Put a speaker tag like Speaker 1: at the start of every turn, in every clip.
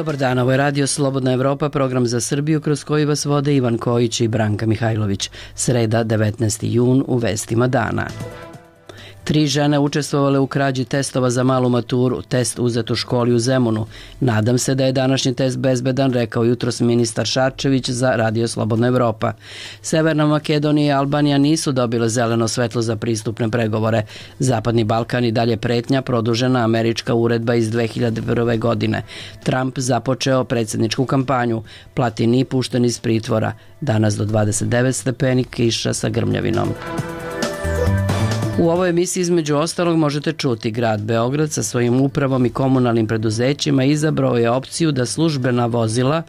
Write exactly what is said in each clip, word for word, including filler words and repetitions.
Speaker 1: Dobar dan, ovo je Radio Slobodna Evropa, program za Srbiju kroz koji vas vode Ivan Kojić i Branka Mihajlović. Sreda, devetnaesti jun, u vestima dana. Tri žene učestvovale u krađi testova za malu maturu, test uzet u školi u Zemunu. Nadam se da je današnji test bezbedan, rekao jutros ministar Šarčević za Radio Slobodna Evropa. Severna Makedonija i Albanija nisu dobile zeleno svetlo za pristupne pregovore. Zapadni Balkan i dalje pretnja, produžena američka uredba iz dve hiljade prve. godine. Trump započeo predsjedničku kampanju. Platini pušten iz pritvora. Danas do dvadeset devet stepeni, kiša sa grmljavinom. U ovoj emisiji između ostalog možete čuti grad Beograd sa svojim upravom i komunalnim preduzećima izabrao je opciju da službena vozila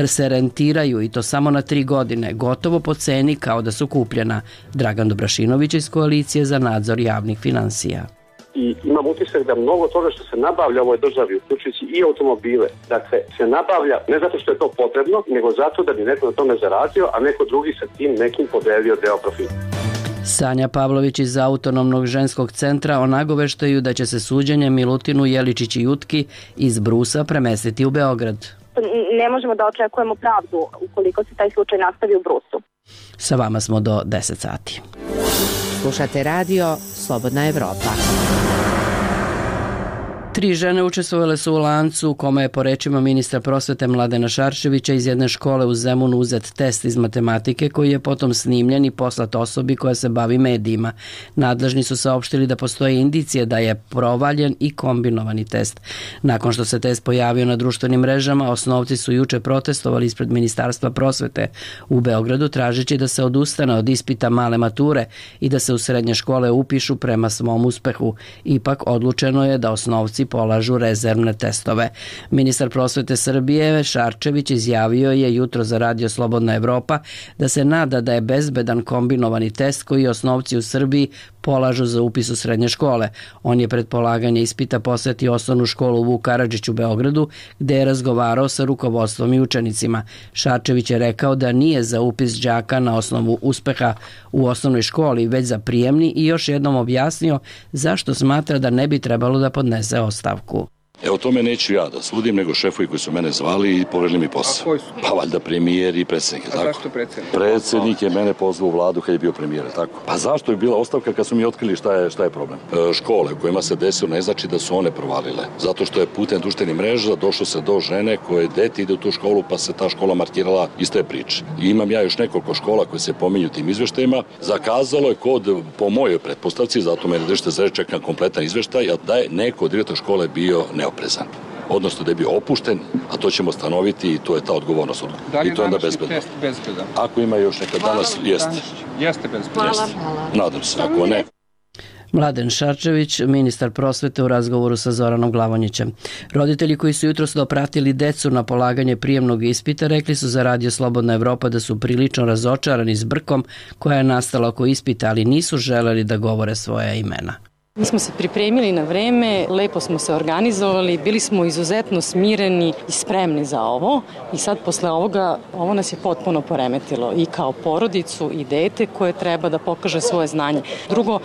Speaker 1: se rentiraju i to samo na tri godine, gotovo po ceni kao da su kupljena. Dragan Dobrašinović iz Koalicije za nadzor javnih finansija.
Speaker 2: I imam utisak da mnogo toga što se nabavlja u ovoj državi, uključujući i automobile, dakle, se nabavlja ne zato što je to potrebno, nego zato da bi neko na tome zaradio, a neko drugi sa tim nekim podelio deo profita.
Speaker 1: Sanja Pavlović iz Autonomnog ženskog centra o nagoveštaju da će se suđenje Milutinu Jeličić i Jutki iz Brusa premestiti u Beograd.
Speaker 3: Ne možemo da očekujemo pravdu ukoliko se taj slučaj nastavi u Brusu.
Speaker 1: Sa vama smo do deset sati.
Speaker 4: Slušate radio Slobodna Evropa.
Speaker 1: Tri žene učestvovale su u lancu u kome je po rečima ministra prosvete Mladena Šarčevića iz jedne škole u Zemunu uzet test iz matematike koji je potom snimljen i poslat osobi koja se bavi medijima. Nadležni su saopštili da postoje indicije da je provaljen i kombinovani test. Nakon što se test pojavio na društvenim mrežama, osnovci su juče protestovali ispred Ministarstva prosvete u Beogradu tražeći da se odustane od ispita male mature i da se u srednje škole upišu prema svom uspehu. Ipak odlučeno je da osnovci polažu rezervne testove. Ministar prosvete Srbije Šarčević izjavio je jutro za Radio Slobodna Evropa da se nada da je bezbedan kombinovani test koji osnovci u Srbiji polažu za upis u srednje škole. On je pred polaganje ispita posetio osnovnu školu Vuk Karadžić u Beogradu, gde je razgovarao sa rukovodstvom i učenicima. Šarčević je rekao da nije za upis đaka na osnovu uspeha u osnovnoj školi, već za prijemni i još jednom objasnio zašto smatra da ne bi trebalo da podnese ostavku.
Speaker 5: Evo tome neću ja da sudim, nego šefovi koji su mene zvali i poverili mi posao.
Speaker 6: A koji su?
Speaker 5: Pa valjda premijer i predsjednik.
Speaker 6: A
Speaker 5: tako?
Speaker 6: zašto predsjednik?
Speaker 5: Predsjednik je mene pozvao u vladu kad je bio premijer, tako? Pa zašto je bila ostavka kad su mi otkrili šta je, šta je problem? E, škole u kojima se desilo ne znači da su one provalile. Zato što je putem društvenih mreža došlo se do žene koje dete ide u tu školu pa se ta škola markirala iste priče. I imam ja još nekoliko škola koje se pominju tim izveštajima. Zakazalo je kod, po mojoj pretpostavci, zato mene držite za reč, čekam kompletan izveštaj, da je neko od direktora škole bio neoprezan. Odnosno da je bio opušten, a to ćemo stanoviti i to je ta odgovornost.
Speaker 6: Da li je
Speaker 5: I to je onda
Speaker 6: današnji
Speaker 5: bezbedno.
Speaker 6: test bezbedan?
Speaker 5: Ako ima još neka danas, jeste.
Speaker 6: Jeste bezbedan.
Speaker 5: Jeste. Nadam se, ako ne.
Speaker 1: Mladen Šarčević, ministar prosvete u razgovoru sa Zoranom Glavonjićem. Roditelji koji su jutros dopratili decu na polaganje prijemnog ispita rekli su za Radio Slobodna Evropa da su prilično razočarani zbrkom koja je nastala oko ispita, ali nisu želeli da govore svoja imena.
Speaker 7: Mi smo se pripremili na vreme, lepo smo se organizovali, bili smo izuzetno smireni i spremni za ovo i sad posle ovoga, ovo nas je potpuno poremetilo i kao porodicu i dete koje treba da pokaže svoje znanje. Drugo,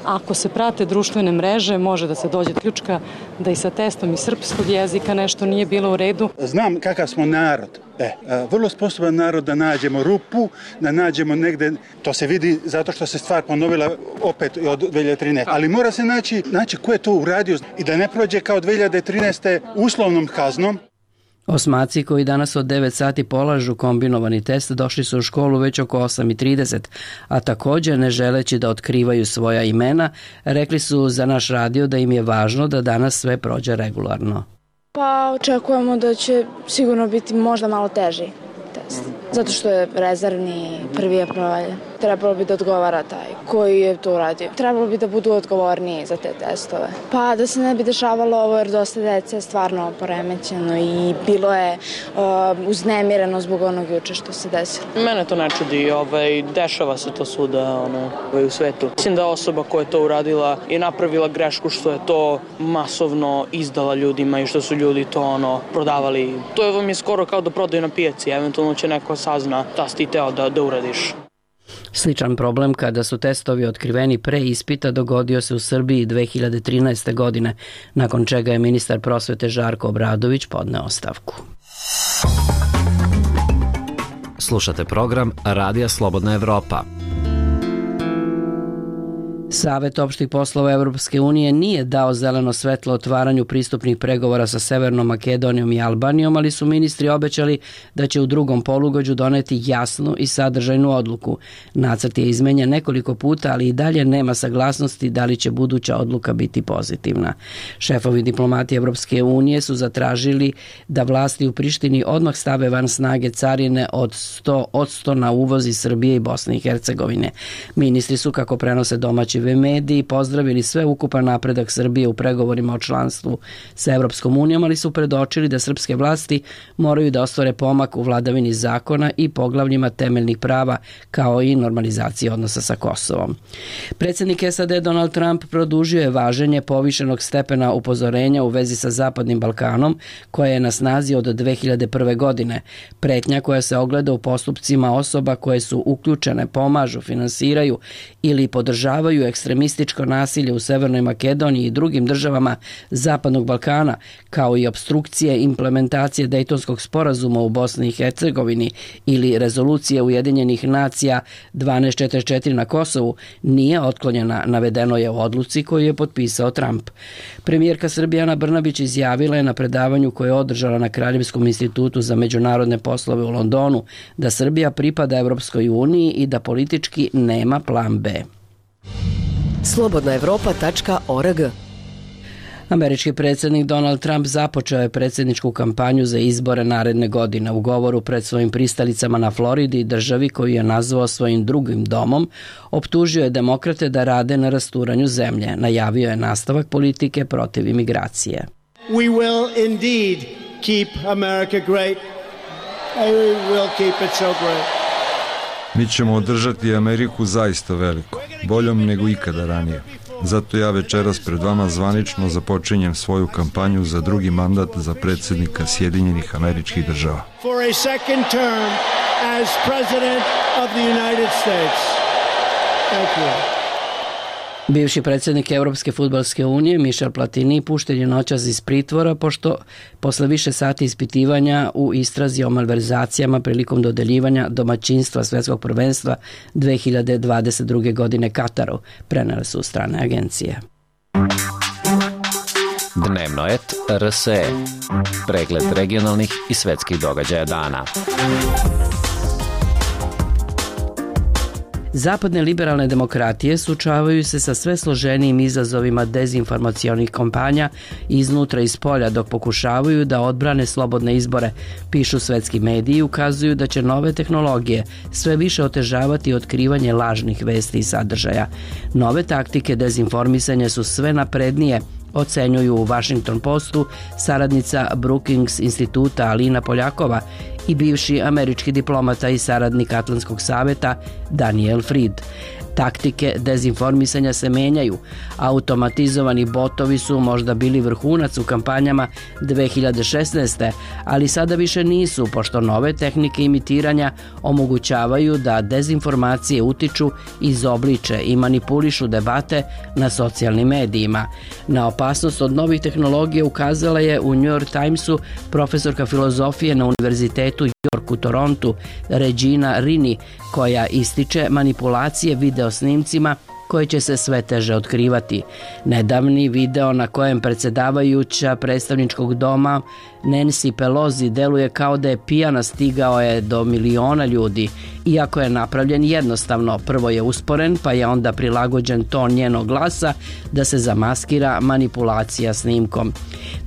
Speaker 7: ako se prate društvene mreže, može da se dođe do ključka da i sa testom iz srpskog jezika nešto nije bilo u redu.
Speaker 8: Znam kakav smo narod. E, vrlo sposoban narod da nađemo rupu, da nađemo negde, to se vidi zato što se stvar ponovila opet od dve hiljade trinaeste. Ali mora se naći, naći ko je to uradio i da ne prođe kao dve hiljade trinaeste uslovnom kaznom.
Speaker 1: Osmaci koji danas od devet sati polažu kombinovani test došli su u školu već oko osam i trideset, a također ne želeći da otkrivaju svoja imena, rekli su za naš radio da im je važno da danas sve prođe regularno.
Speaker 9: Pa očekujemo da će sigurno biti možda malo teži test, zato što je rezervni, prvi je provaljen. Trebalo bi da odgovara taj koji je to uradio. Trebalo bi da budu odgovorniji za te testove. Pa da se ne bi dešavalo ovo jer dosta dece je stvarno poremećeno i bilo je uh, uznemireno zbog onog juče što se desilo.
Speaker 10: Mene to ne čudi, ovaj, dešava se to svuda ono, u svetu. Mislim da osoba koja je to uradila je napravila grešku što je to masovno izdala ljudima i što su ljudi to ono prodavali. To je vam je skoro kao da prodaju na pijaci, eventualno će neko sazna da si ti teo da, da uradiš.
Speaker 1: Sličan problem kada su testovi otkriveni pre ispita dogodio se u Srbiji dve hiljade trinaeste. godine, nakon čega je ministar prosvete Žarko Obradović podneo ostavku.
Speaker 6: Slušate program Radija Slobodna Evropa.
Speaker 1: Savet opštih poslova Evropske unije nije dao zeleno svetlo otvaranju pristupnih pregovora sa Severnom Makedonijom i Albanijom, ali su ministri obećali da će u drugom polugođu doneti jasnu i sadržajnu odluku. Nacrt je izmenjen nekoliko puta, ali i dalje nema saglasnosti da li će buduća odluka biti pozitivna. Šefovi diplomati Evropske unije su zatražili da vlasti u Prištini odmah stave van snage carine od sto posto na uvoz iz Srbije i Bosne i Hercegovine. Ministri su, kako prenose domaći mediji, pozdravili sve ukupan napredak Srbije u pregovorima o članstvu sa Evropskom unijom, ali su predočili da srpske vlasti moraju da ostvare pomak u vladavini zakona i poglavljima temeljnih prava, kao i normalizacije odnosa sa Kosovom. Predsjednik S A D Donald Trump produžio je važenje povišenog stepena upozorenja u vezi sa Zapadnim Balkanom, koja je na snazi od dve hiljade prve. godine. Pretnja koja se ogleda u postupcima osoba koje su uključene, pomažu, finansiraju ili podržavaju ekstremističko nasilje u Severnoj Makedoniji i drugim državama Zapadnog Balkana, kao i obstrukcije implementacije Dejtonskog sporazuma u Bosni i Hercegovini ili rezolucije Ujedinjenih nacija dvanaest četrdeset četiri na Kosovu, nije otklonjena, navedeno je u odluci koju je potpisao Trump. Premijerka Srbije Ana Brnabić izjavila je na predavanju koje je održala na Kraljevskom institutu za međunarodne poslove u Londonu da Srbija pripada Evropskoj uniji i da politički nema plan B.
Speaker 4: slobodna evropa tačka org.
Speaker 1: Američki predsjednik Donald Trump započeo je predsjedničku kampanju za izbore naredne godine. U govoru pred svojim pristalicama na Floridi, državi koju je nazvao svojim drugim domom, optužio je demokrate da rade na rasturanju zemlje. Najavio je nastavak politike protiv imigracije.
Speaker 11: We will indeed keep America great. We will keep it so great.
Speaker 12: Mi ćemo održati Ameriku zaista veliko, boljom nego ikada ranije. Zato ja večeras pred vama zvanično započinjem svoju kampanju za drugi mandat za predsjednika Sjedinjenih Američkih Država.
Speaker 11: For a second term as president of the United States. Thank you.
Speaker 1: Bivši predsjednik Evropske fudbalske unije Michel Platini pušten je noćas iz pritvora pošto posle više sati ispitivanja u istrazi o malverzacijama prilikom dodeljivanja domaćinstva Svetskog prvenstva dve hiljade dvadeset druge. godine Kataru, prenele su strane agencije.
Speaker 6: Dnevnoet R S E. Pregled regionalnih i svetskih događaja dana.
Speaker 1: Zapadne liberalne demokratije suočavaju se sa sve složenijim izazovima dezinformacionih kampanja iznutra i spolja dok pokušavaju da odbrane slobodne izbore. Pišu svetski mediji i ukazuju da će nove tehnologije sve više otežavati otkrivanje lažnih vesti i sadržaja. Nove taktike dezinformisanja su sve naprednije, ocenjuju u Washington Postu saradnica Brookings instituta Alina Poljakova i bivši američki diplomata i saradnik Atlantskog saveta Daniel Fried. Taktike dezinformisanja se menjaju. Automatizovani botovi su možda bili vrhunac u kampanjama dve hiljade šesnaeste. ali sada više nisu, pošto nove tehnike imitiranja omogućavaju da dezinformacije utiču, izobliče i manipulišu debate na socijalnim medijima. Na opasnost od novih tehnologija ukazala je u New York Timesu profesorka filozofije na Univerzitetu York u Torontu Regina Rini, koja ističe manipulacije video snimcima koje će se sve teže otkrivati. Nedavni video na kojem predsjedavajuća predstavničkog doma Nancy Pelosi deluje kao da je pijana stigao je do miliona ljudi. Iako je napravljen jednostavno, prvo je usporen pa je onda prilagođen ton njenog glasa da se zamaskira manipulacija snimkom.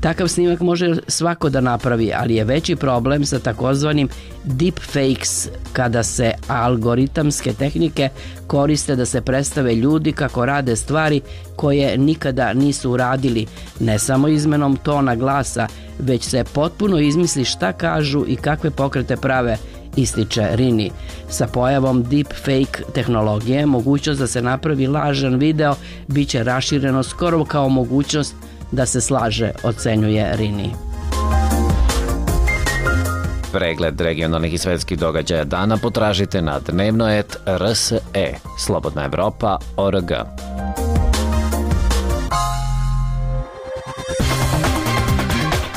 Speaker 1: Takav snimak može svako da napravi, ali je veći problem sa takozvanim deepfakes, kada se algoritamske tehnike koriste da se predstave ljudi kako rade stvari koje nikada nisu uradili, ne samo izmenom tona glasa, već se potpuno izmisli šta kažu i kakve pokrete prave, ističe Rini. Sa pojavom deepfake tehnologije, mogućnost da se napravi lažan video bit će rašireno skoro kao mogućnost da se slaže, ocenjuje Rini.
Speaker 6: Pregled regionalnih i svetskih događaja dana potražite na dnevnoet R S E, Slobodna Evropa, O R G.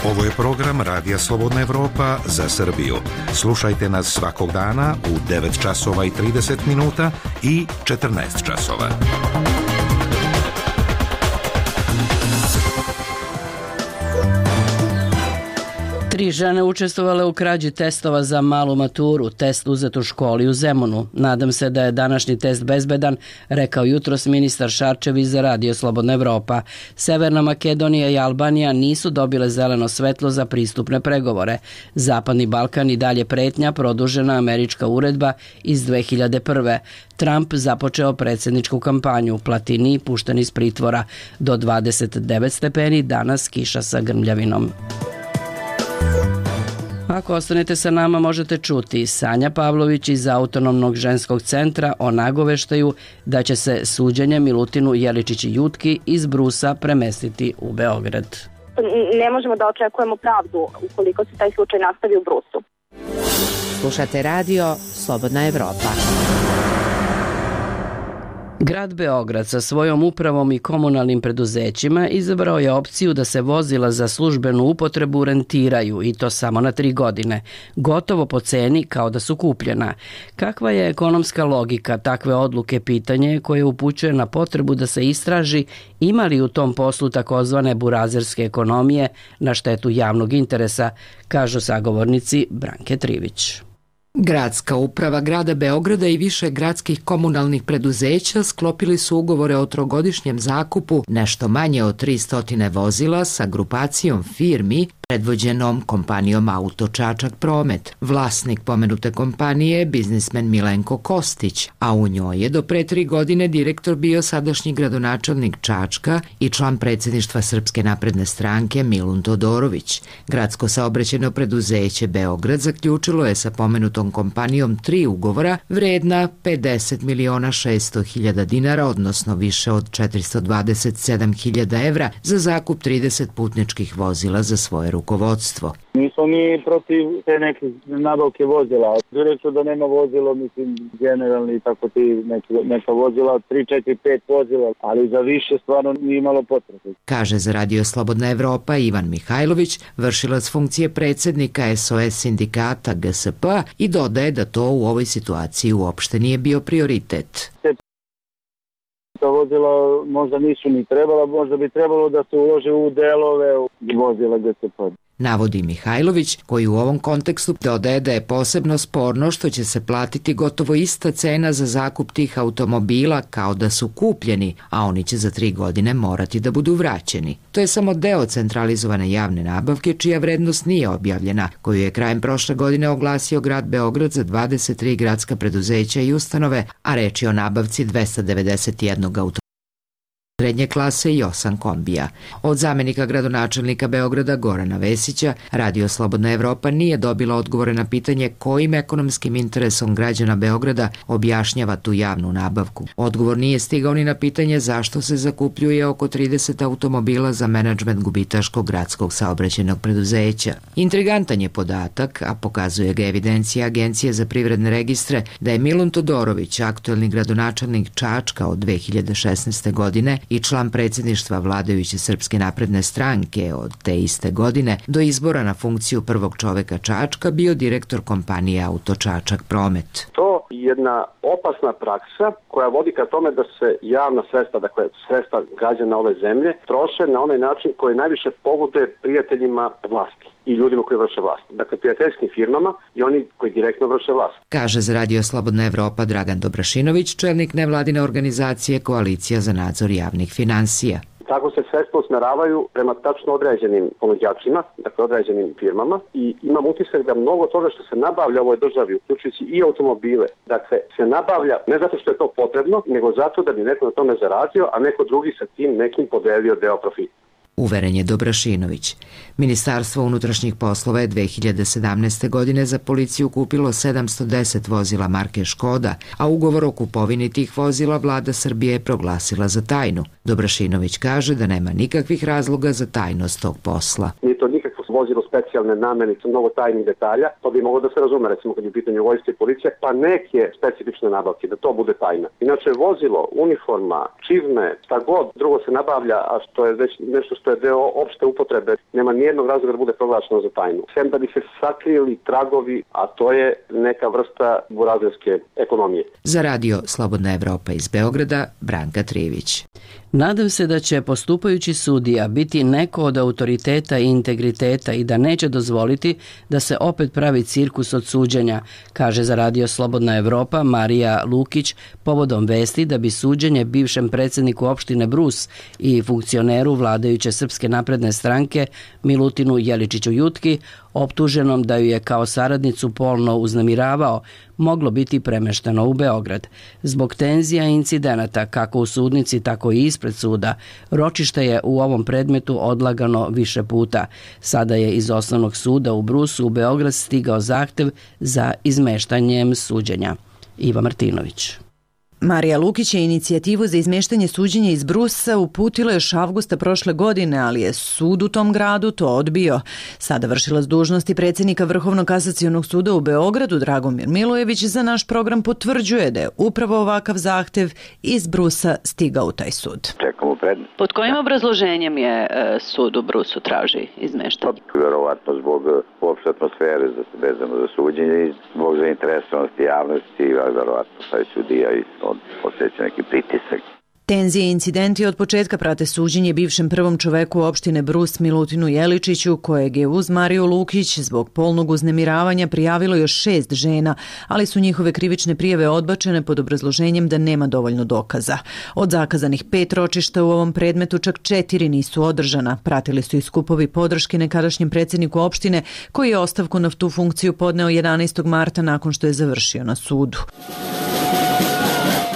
Speaker 13: Ovo je program Radija Slobodna Evropa za Srbiju. Slušajte nas svakog dana u devet časova i trideset minuta i četrnaest časova.
Speaker 1: Tri žene učestvovale u krađi testova za malu maturu, test uzet u školi u Zemunu. Nadam se da je današnji test bezbedan, rekao jutros ministar Šarčević za Radio Slobodna Evropa. Severna Makedonija i Albanija nisu dobile zeleno svetlo za pristupne pregovore. Zapadni Balkan i dalje pretnja, produžena američka uredba iz dve hiljade prve. Trump započeo predsjedničku kampanju, Platini pušten iz pritvora. Do dvadeset devet stepeni, danas kiša sa grmljavinom. Ako ostanete sa nama, možete čuti Sanja Pavlović iz Autonomnog ženskog centra o nagoveštaju da će se suđenje Milutinu Jeličić-Jutki iz Brusa premestiti u Beograd.
Speaker 3: Ne možemo da očekujemo pravdu ukoliko se taj slučaj nastavi u Brusu.
Speaker 4: Slušate radio Slobodna Evropa.
Speaker 1: Grad Beograd sa svojom upravom i komunalnim preduzećima izabrao je opciju da se vozila za službenu upotrebu rentiraju i to samo na tri godine, gotovo po ceni kao da su kupljena. Kakva je ekonomska logika takve odluke, pitanje koje upućuje na potrebu da se istraži ima li u tom poslu takozvane burazerske ekonomije na štetu javnog interesa, kažu sagovornici Branke Trivić.
Speaker 14: Gradska uprava grada Beograda i više gradskih komunalnih preduzeća sklopili su ugovore o trogodišnjem zakupu nešto manje od tristo vozila sa grupacijom firmi predvođenom kompanijom Auto Čačak Promet. Vlasnik pomenute kompanije je biznismen Milenko Kostić, a u njoj je do pre tri godine direktor bio sadašnji gradonačelnik Čačka i član predsjedništva Srpske napredne stranke Milun Todorović. Gradsko saobraćajno preduzeće Beograd zaključilo je sa pomenutom kompanijom tri ugovora vredna pedeset miliona šesto hiljada dinara, odnosno više od četiristo dvadeset sedam hiljada evra za zakup trideset putničkih vozila za svoje rukovodstvo.
Speaker 15: Nismo mi protiv te neke nabavke vozila. Direktno da nema vozilo, mislim, generalni tako ti neke, neka vozila, tri, četiri, pet vozila, ali za više stvarno nije imalo potrebe.
Speaker 14: Kaže za Radio Slobodna Evropa Ivan Mihajlović, vršilac funkcije predsjednika S O S sindikata G S P i dodaje da to u ovoj situaciji uopšte nije bio prioritet.
Speaker 15: Ta vozila možda nisu ni trebala, možda bi trebalo da se ulože u delove u vozila G S P.
Speaker 14: Navodi Mihajlović, koji u ovom kontekstu dodaje da je posebno sporno što će se platiti gotovo ista cena za zakup tih automobila kao da su kupljeni, a oni će za tri godine morati da budu vraćeni. To je samo deo centralizovane javne nabavke čija vrednost nije objavljena, koju je krajem prošle godine oglasio grad Beograd za dvadeset tri gradska preduzeća i ustanove, a reč je o nabavci dvesta devedeset jedan automobila srednje klase i osam kombija. Od zamenika gradonačelnika Beograda Gorana Vesića, Radio Slobodna Evropa nije dobila odgovore na pitanje kojim ekonomskim interesom građana Beograda objašnjava tu javnu nabavku. Odgovor nije stigao ni na pitanje zašto se zakupljuje oko trideset automobila za menadžment gubitaškog gradskog saobraćajnog preduzeća. Intrigantan je podatak, a pokazuje ga evidencija Agencije za privredne registre, da je Milun Todorović, aktuelni gradonačelnik Čačka od dve hiljade šesnaeste godine i član predsjedništva vladajuće Srpske napredne stranke od te iste godine, do izbora na funkciju prvog čoveka Čačka bio direktor kompanije Auto Čačak Promet.
Speaker 2: To je jedna opasna praksa koja vodi ka tome da se javna sredstva, dakle sredstva građana ove zemlje, troše na onaj način koji najviše pogoduje prijateljima vlasti i ljudima koji vrše vlast. Dakle, prijateljskim firmama i oni koji direktno vrše vlast.
Speaker 14: Kaže za Radio Slobodna Evropa Dragan Dobrašinović, čelnik nevladine organizacije Koalicija za nadzor javnih finansija.
Speaker 2: Tako se sredstva usmeravaju prema tačno određenim ponuđačima, dakle određenim firmama, i imam utisak da mnogo toga što se nabavlja u ovoj državi, uključujući i automobile, dakle se nabavlja ne zato što je to potrebno, nego zato da bi neko na tome zaradio, a neko drugi sa tim nekim podelio deo profita.
Speaker 14: Uveren je Dobrašinović. Ministarstvo unutrašnjih poslova je dve hiljade sedamnaeste. godine za policiju kupilo sedamsto deset vozila marke Škoda, a ugovor o kupovini tih vozila vlada Srbije je proglasila za tajnu. Dobrašinović kaže da nema nikakvih razloga za tajnost tog posla.
Speaker 2: Nije to nikakvo vozilo specijalne namene, mnogo tajnih detalja, to bi moglo da se razume, recimo kad je u pitanju vojske i policije, pa neke specifične nabavke, da to bude tajna. Inače, vozilo, uniforma, čizme, šta god drugo se nabavlja, a što je već nešto što je deo opšte upotrebe, nema nijednog razloga da bude proglašeno za tajnu. Sem da bi se sakrili tragovi, a to je neka vrsta burazerske ekonomije.
Speaker 14: Za radio Slobodna Evropa iz Beograda, Branka Trivić.
Speaker 1: Nadam se da će postupajući sudija biti neko od autoriteta i integriteta i da neće dozvoliti da se opet pravi cirkus od suđenja, kaže za radio Slobodna Evropa Marija Lukić povodom vesti da bi suđenje bivšem predsjedniku opštine Brus i funkcioneru vladajuće Srpske napredne stranke Milutinu Jeličiću Jutki, optuženom da ju je kao saradnicu polno uznemiravao, moglo biti premešteno u Beograd. Zbog tenzija i incidenata, kako u sudnici, tako i ispred suda, ročište je u ovom predmetu odlagano više puta. Sada je iz osnovnog suda u Brusu u Beograd stigao zahtev za izmeštanjem suđenja. Iva Martinović.
Speaker 16: Marija Lukić je inicijativu za izmeštanje suđenja iz Brusa uputila još avgusta prošle godine, ali je sud u tom gradu to odbio. Sada vršilac dužnosti predsjednika Vrhovnog kasacionog suda u Beogradu, Dragomir Milojević, za naš program potvrđuje da je upravo ovakav zahtev iz Brusa stigao u taj sud.
Speaker 17: Čekamo predmet.
Speaker 18: Pod kojim obrazloženjem je e, sud u Brusu traži izmeštanje?
Speaker 17: Vjerovatno zbog uopšte atmosfere vezano za suđenje i zbog zainteresovanosti javnosti, vjerovatno taj sudija i osjeća neki pritisak.
Speaker 16: Tenzije i incidenti od početka prate suđenje bivšem prvom čoveku opštine Brus Milutinu Jeličiću, kojeg je uz Mariju Lukić zbog polnog uznemiravanja prijavilo još šest žena, ali su njihove krivične prijave odbačene pod obrazloženjem da nema dovoljno dokaza. Od zakazanih pet ročišta u ovom predmetu čak četiri nisu održana. Pratili su i skupovi podrške nekadašnjem predsjedniku opštine, koji je ostavku na tu funkciju podneo jedanaestog marta nakon što je završio na sudu.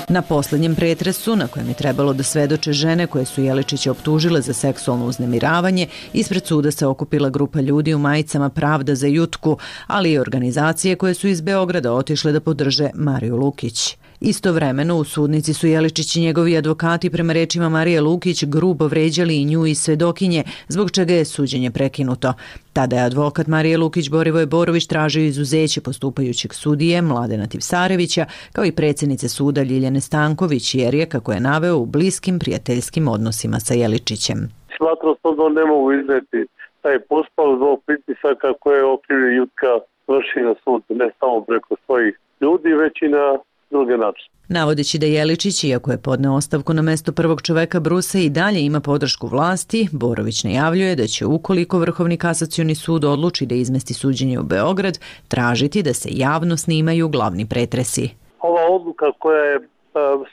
Speaker 16: Na posljednjem pretresu, na kojem je trebalo da svedoče žene koje su Jeličića optužile za seksualno uznemiravanje, ispred suda se okupila grupa ljudi u majicama Pravda za Jutku, ali i organizacije koje su iz Beograda otišle da podrže Mariju Lukić. Istovremeno u sudnici su Jeličić i njegovi advokati prema rečima Marije Lukić grubo vređali i nju i svedokinje, zbog čega je suđenje prekinuto. Tada je advokat Marije Lukić Borivoje Borović tražio izuzeće postupajućeg sudije Mladena Tipsarevića, kao i predsjednice suda Ljiljane Stanković, jer je, kako je naveo, u bliskim prijateljskim odnosima sa Jeličićem.
Speaker 19: Smatram da ne mogu izneti taj posao zbog pritisaka koje je okrivio Jutka vrši na sud, ne samo preko svojih ljudi, već i na druge načine.
Speaker 16: Navodeći da Jeličić, iako je podneo ostavku na mesto prvog čoveka Brusa, i dalje ima podršku vlasti, Borović najavljuje da će, ukoliko Vrhovni kasacioni sud odluči da izmesti suđenje u Beograd, tražiti da se javno snimaju glavni pretresi.
Speaker 19: Ova odluka koja je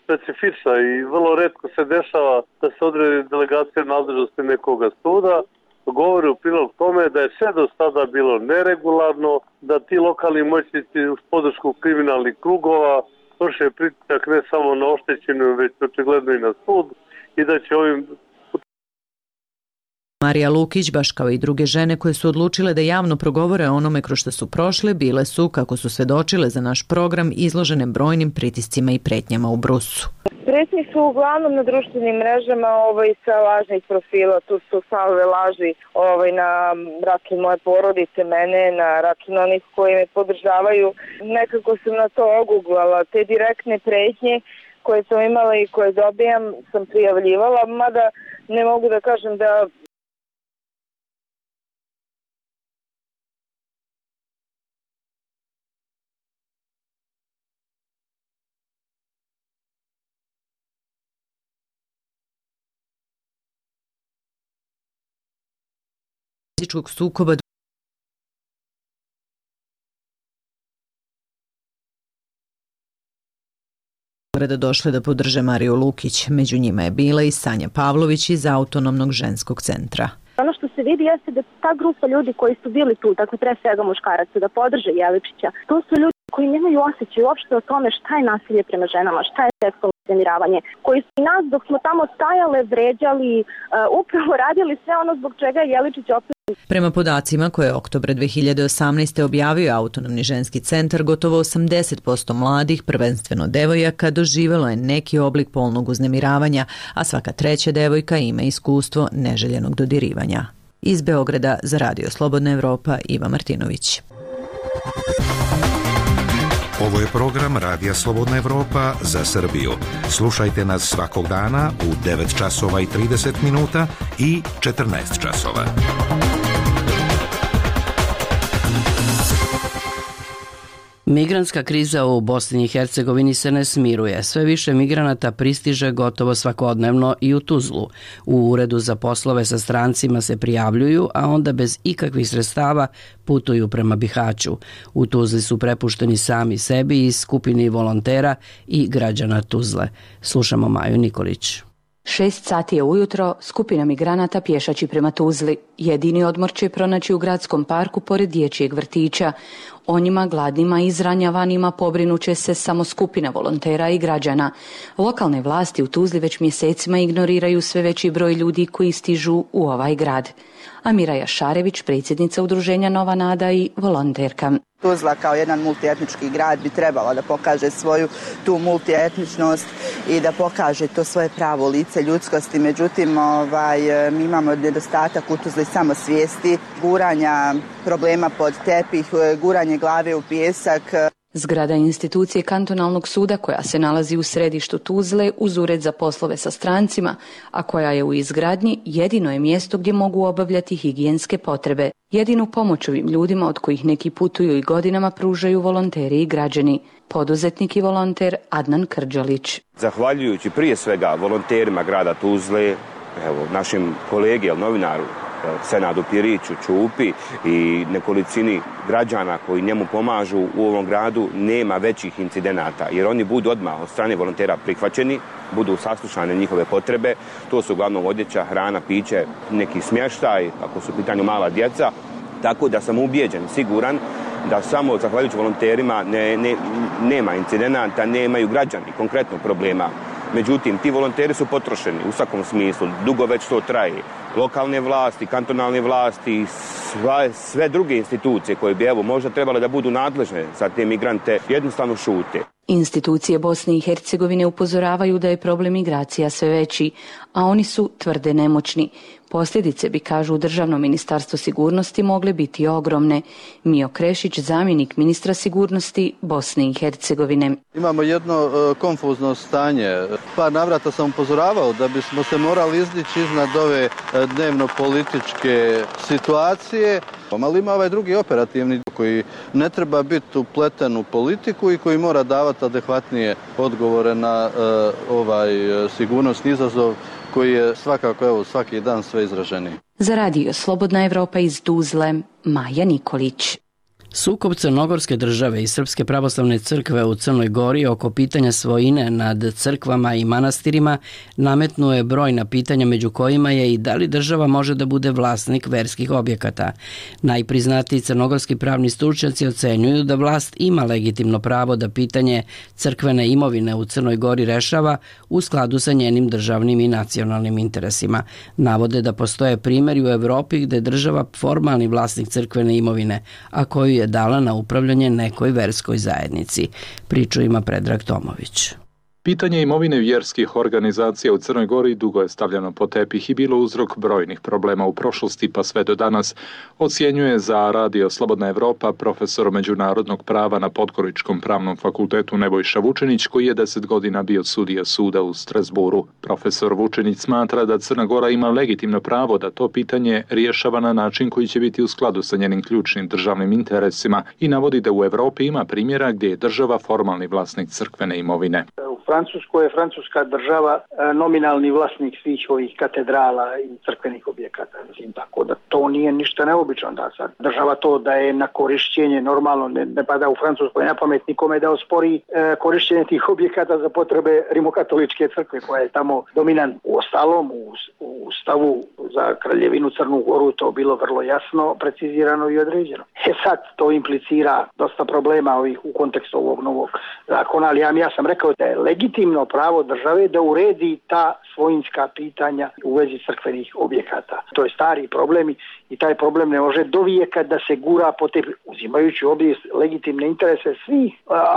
Speaker 19: specifična i vrlo retko se dešava da se odredi delegacija nadležnosti nekoga suda, govori u prilog tome da je sve do sada bilo neregularno, da ti lokalni moćnici uz podršku kriminalnih krugova vrše pritisak ne samo na oštećenu, već očigledno i na sud i da će ovim...
Speaker 16: Marija Lukić, baš kao i druge žene koje su odlučile da javno progovore o onome kroz što su prošle, bile su, kako su svedočile za naš program, izložene brojnim pritiscima i pretnjama u Brusu.
Speaker 20: Pretnje su uglavnom na društvenim mrežama ovaj, sa lažnih profila, tu su salve laži ovaj, na račun moje porodice, mene, na račun onih koji me podržavaju. Nekako sam na to oguglala, te direktne pretnje koje sam imala i koje dobijam sam prijavljivala, mada ne mogu da kažem da
Speaker 16: sukoba da došle da podrže Mariju Lukić. Među njima je bila i Sanja Pavlović iz Autonomnog ženskog centra.
Speaker 3: Ono što se vidi jeste da ta grupa ljudi koji su bili tu, dakle pre svega muškaraca, da podrže Jeličića, to su ljudi koji nemaju osjećaj uopšte o tome šta je nasilje prema ženama, šta je seksualno uznemiravanje, koji su i nas dok smo tamo stajale, vređali, uh, upravo radili sve ono zbog čega je Jeličić opet.
Speaker 16: Prema podacima koje je oktobra dve hiljade osamnaeste. objavio Autonomni ženski centar, gotovo osamdeset posto mladih, prvenstveno devojaka, doživelo je neki oblik polnog uznemiravanja, a svaka treća devojka ima iskustvo neželjenog dodirivanja. Iz Beograda za Radio Slobodna Evropa Iva Martinović.
Speaker 13: Ovo je program Radija Slobodna Evropa za Srbiju. Slušajte nas svakog dana u devet časova i trideset minuta i četrnaest časova.
Speaker 1: Migrantska kriza u Bosni i Hercegovini se ne smiruje. Sve više migranata pristiže gotovo svakodnevno i u Tuzlu. U Uredu za poslove sa strancima se prijavljuju, a onda bez ikakvih sredstava putuju prema Bihaću. U Tuzli su prepušteni sami sebi i skupini volontera i građana Tuzle. Slušamo Maju Nikolić.
Speaker 21: Šest sati je ujutro, skupina migranata pješači prema Tuzli. Jedini odmor će pronaći u gradskom parku pored dječjeg vrtića. O njima, gladnima i izranjavanima pobrinuće se samo skupina volontera i građana. Lokalne vlasti u Tuzli već mjesecima ignoriraju sve veći broj ljudi koji stižu u ovaj grad. Amira Jašarević, predsjednica udruženja Nova Nada i volonterka.
Speaker 22: Tuzla kao jedan multietnički grad bi trebala da pokaže svoju tu multietničnost i da pokaže to svoje pravo lice ljudskosti. Međutim, ovaj, mi imamo nedostatak u Tuzli samosvijesti, guranja problema pod tepih, guranje glave u pijesak.
Speaker 21: Zgrada institucije kantonalnog suda koja se nalazi u središtu Tuzle uz ured za poslove sa strancima, a koja je u izgradnji, jedino je mjesto gdje mogu obavljati higijenske potrebe. Jedinu pomoć ovim ljudima od kojih neki putuju i godinama pružaju volonteri i građani. Poduzetnik i volonter Adnan Krđalić.
Speaker 23: Zahvaljujući prije svega volonterima grada Tuzle, evo, našim kolegi, novinaru, Senadu Piriću, Čupi i nekolicini građana koji njemu pomažu u ovom gradu, nema većih incidenata, jer oni budu odmah od strane volontera prihvaćeni, budu saslušane njihove potrebe. To su uglavnom odjeća, hrana, piće, neki smještaj, ako su u pitanju mala djeca. Tako da sam ubijeđen, siguran da samo zahvaljujući volonterima ne, ne, nema incidenata, nemaju građani konkretno problema. Međutim, ti volonteri su potrošeni u svakom smislu, dugo već to traje. Lokalne vlasti, kantonalne vlasti, sve, sve druge institucije koje bi evo možda trebale da budu nadležne za te migrante, jednostavno šute.
Speaker 21: Institucije Bosne i Hercegovine upozoravaju da je problem migracija sve veći, a oni su tvrde nemoćni. Posljedice bi, kažu Državno ministarstvo sigurnosti, mogle biti ogromne. Mio Krešić, zamjenik ministra sigurnosti Bosne i Hercegovine.
Speaker 24: Imamo jedno uh, konfuzno stanje. Par navrata sam upozoravao da bismo se morali izdići iznad ove uh, dnevno-političke situacije. Ali ima ovaj drugi operativni koji ne treba biti upleten u politiku i koji mora davati adekvatnije odgovore na uh, ovaj uh, sigurnosni izazov koji je svakako evo, svaki dan sve izraženiji.
Speaker 21: Za Radio Slobodna Evropa iz Tuzle, Maja Nikolić.
Speaker 1: Sukob Crnogorske države i Srpske pravoslavne crkve u Crnoj Gori oko pitanja svojine nad crkvama i manastirima nametnuo je brojna pitanja, među kojima je i da li država može da bude vlasnik verskih objekata. Najpriznatiji crnogorski pravni stručnjaci ocenjuju da vlast ima legitimno pravo da pitanje crkvene imovine u Crnoj Gori rešava u skladu sa njenim državnim i nacionalnim interesima. Navode da postoje primjeri u Evropi gde je država formalni vlasnik crkvene imovine, a koju je dala na upravljanje nekoj verskoj zajednici. Priču ima Predrag Tomović.
Speaker 25: Pitanje imovine vjerskih organizacija u Crnoj Gori dugo je stavljeno pod tepih i bilo uzrok brojnih problema u prošlosti pa sve do danas, ocjenjuje za Radio Slobodna Evropa profesor međunarodnog prava na Podgoričkom pravnom fakultetu Nebojša Vučenić, koji je deset godina bio sudija suda u Strasburu. Profesor Vučenić smatra da Crna Gora ima legitimno pravo da to pitanje rješava na način koji će biti u skladu sa njenim ključnim državnim interesima i navodi da u Evropi ima primjera gdje je država formalni vlasnik crkvene imovine.
Speaker 26: Francuskoj je francuska država nominalni vlasnik svih ovih katedrala i crkvenih objekata. Mislim, tako da to nije ništa neobično da sad država to daje na korišćenje, normalno ne, ne pada u Francuskoj na pamet nikome da ospori e, korišćenje tih objekata za potrebe rimokatoličke crkve koja je tamo dominant. U ostalom u, u stavu za Kraljevinu Crnu Goru to bilo vrlo jasno, precizirano i određeno. E sad to implicira dosta problema ovih u kontekstu ovog novog zakona, ali ja, ja sam rekao da je legitimno pravo države da uredi ta svojinska pitanja u vezi crkvenih objekata. To je stari problem i taj problem ne može do vijeka da se gura po te, uzimajući obje legitimne interese svih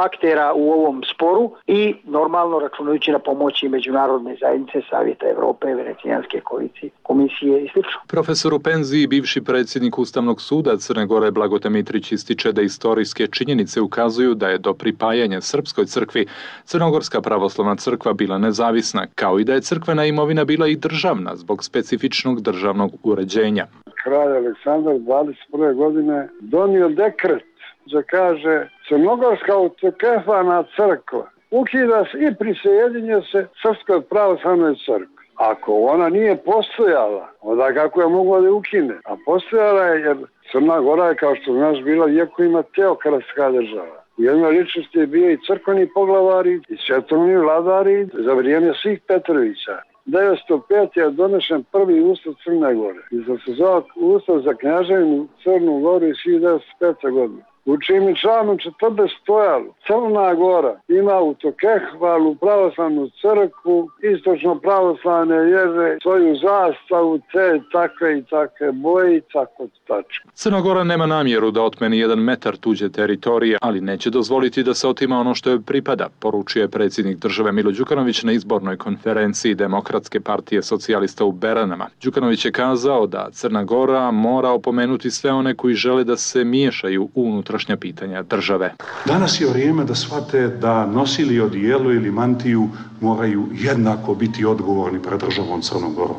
Speaker 26: aktera u ovom sporu i normalno računajući na pomoći međunarodne zajednice, Savjeta Evrope, Venecijanske komisije članovici komisije i sl.
Speaker 25: Profesor u penziji, bivši predsjednik Ustavnog suda Crne Gore Blagote Mitrić ističe da istorijske činjenice ukazuju da je do pripajanja Srpskoj crkvi Crnogorska pravoslavna crkva bila nezavisna, kao i da je crkvena imovina bila i državna zbog specifičnog državnog uređenja.
Speaker 5: Kralj Aleksandar dvadeset prve godine donio dekret da kaže Crnogorska autokefalna crkva ukida se i prisjedinje se Srpskoj pravoslavnoj crkvi. Ako ona nije postojala, onda kako je mogla da je ukine? A postojala je jer Crna Gora je, kao što znaš, bila vjekovima teokratska država. U jednoj ličnosti je bio i crkveni poglavari i svetovni vladari za vrijeme svih Petrovića. devetsto pete je donešen prvi ustav Crne Gore i da se zove ustav za knjaževinu Crnu Goru iz hiljadu devetsto pete. godine. U čim je članom četrdeset stojalo Crna Gora ima autokefalnu pravoslavnu crkvu, istočno pravoslavne vjere, svoju zastavu, te takve i takve boje i tako tačno.
Speaker 25: Crna Gora nema namjeru da otmeni jedan metar tuđe teritorije, ali neće dozvoliti da se otima ono što joj pripada, poručuje predsjednik države Milo Đukanović na izbornoj konferenciji Demokratske partije socijalista u Beranama. Đukanović je kazao da Crna Gora mora opomenuti sve one koji žele da se miješaju u unutrašnja pitanja države.
Speaker 7: Danas je vrijeme da shvate da nosili odijelo ili mantiju moraju jednako biti odgovorni pred državom Crnom Gorom.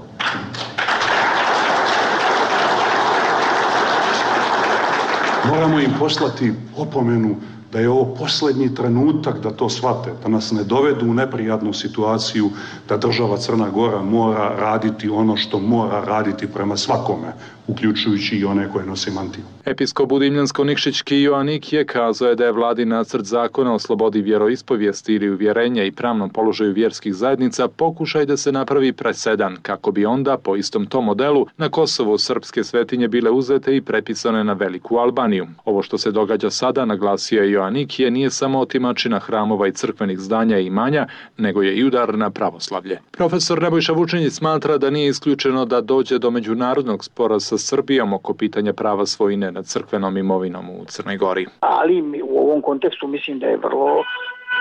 Speaker 7: Moramo im poslati opomenu da je ovo posljednji trenutak da to shvate, da nas ne dovedu u neprijatnu situaciju da država Crna Gora mora raditi ono što mora raditi prema svakome, uključujući i one koje nose mantiju.
Speaker 25: Episkop Budimljansko-Nikšićki Joanik je kazao da je vladin nacrt zakona o slobodi vjeroispovijesti ili uvjerenja i pravnom položaju vjerskih zajednica pokušaj da se napravi presedan, kako bi onda, po istom tom modelu, na Kosovu srpske svetinje bile uzete i prepisane na Veliku Albaniju. Ovo što se događa sada, naglasio je Joanik, je nije samo otimačina hramova i crkvenih zdanja i imanja, nego je i udar na pravoslavlje. Profesor Nebojša Vučinić smatra da nije isključeno da dođe do međunarodnog spora sa Srbijom oko pitanja prava svojine nad crkvenom imovinom u Crnoj Gori.
Speaker 26: Ali u ovom kontekstu mislim da je vrlo,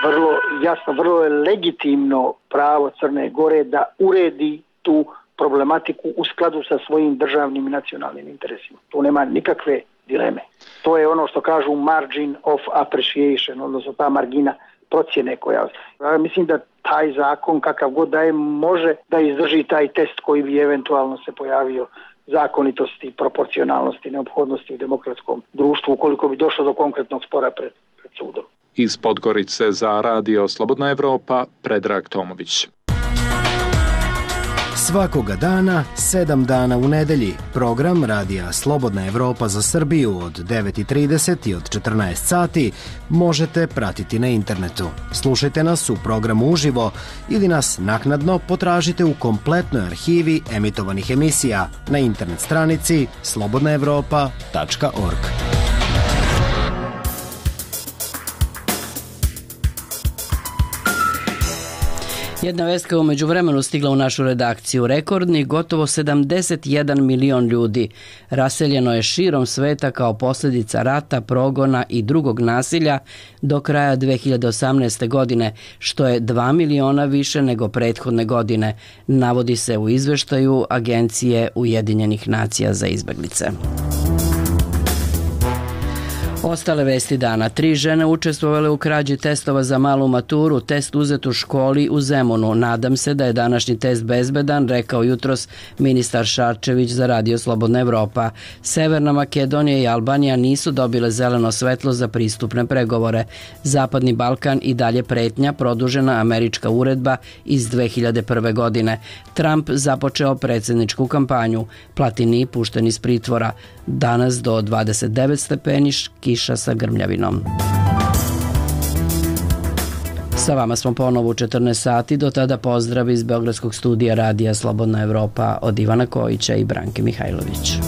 Speaker 26: vrlo jasno, vrlo je legitimno pravo Crne Gore da uredi tu problematiku u skladu sa svojim državnim i nacionalnim interesima. Tu nema nikakve dileme. To je ono što kažu margin of appreciation, odnosno ta margina procjene koja... Ja mislim da taj zakon, kakav god da je, može da izdrži taj test koji bi eventualno se pojavio zakonitosti, proporcionalnosti, neophodnosti u demokratskom društvu ukoliko bi došlo do konkretnog spora pred, pred sudom.
Speaker 25: Iz Podgorice za radio Slobodna Evropa, Predrag Tomović.
Speaker 8: Svakoga dana, sedam dana u nedelji, program radija Slobodna Evropa za Srbiju od devet i trideset i od četrnaest sati možete pratiti na internetu. Slušajte nas u programu uživo ili nas naknadno potražite u kompletnoj arhivi emitovanih emisija na internet stranici slobodna evropa tačka org.
Speaker 1: Jedna vest koja umeđu vremenu stigla u našu redakciju. Rekordni gotovo sedamdeset jedan milion ljudi raseljeno je širom sveta kao posljedica rata, progona i drugog nasilja do kraja dve hiljade osamnaeste. godine, što je dva miliona više nego prethodne godine, navodi se u izveštaju Agencije Ujedinjenih nacija za izbeglice. Ostale vesti dana. Tri žene učestvovale u krađi testova za malu maturu, test uzet u školi u Zemunu. Nadam se da je današnji test bezbedan, rekao jutros ministar Šarčević za radio Slobodna Evropa. Severna Makedonija i Albanija nisu dobile zeleno svetlo za pristupne pregovore. Zapadni Balkan i dalje pretnja, produžena američka uredba iz dve hiljade prve. godine. Trump započeo predsjedničku kampanju. Platini pušten iz pritvora. Danas do dvadeset devet stepeni, kiša sa grmljavinom. Sa vama smo ponovo u četrnaest sati, do tada pozdrav iz Beogradskog studija radija Slobodna Evropa od Ivana Kojića i Branke Mihajlović.